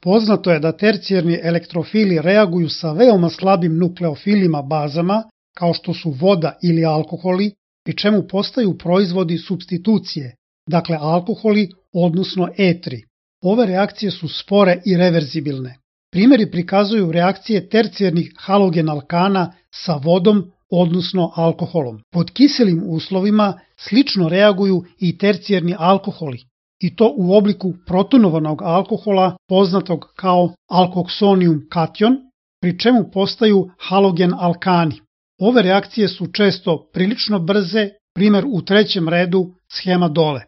Poznato je da tercijarni elektrofili reaguju sa veoma slabim nukleofilima bazama, kao što su voda ili alkoholi, pri čemu postaju proizvodi supstitucije, dakle alkoholi, odnosno etri. Ove reakcije su spore i reverzibilne. Primjeri prikazuju reakcije tercijarnih halogen alkana sa vodom, odnosno alkoholom. Pod kiselim uslovima slično reaguju i tercijarni alkoholi, i to u obliku protonovanog alkohola poznatog kao alkoksonijum kation, pri čemu postaju halogen alkani. Ove reakcije su često prilično brze, primjer u trećem redu, shema dole.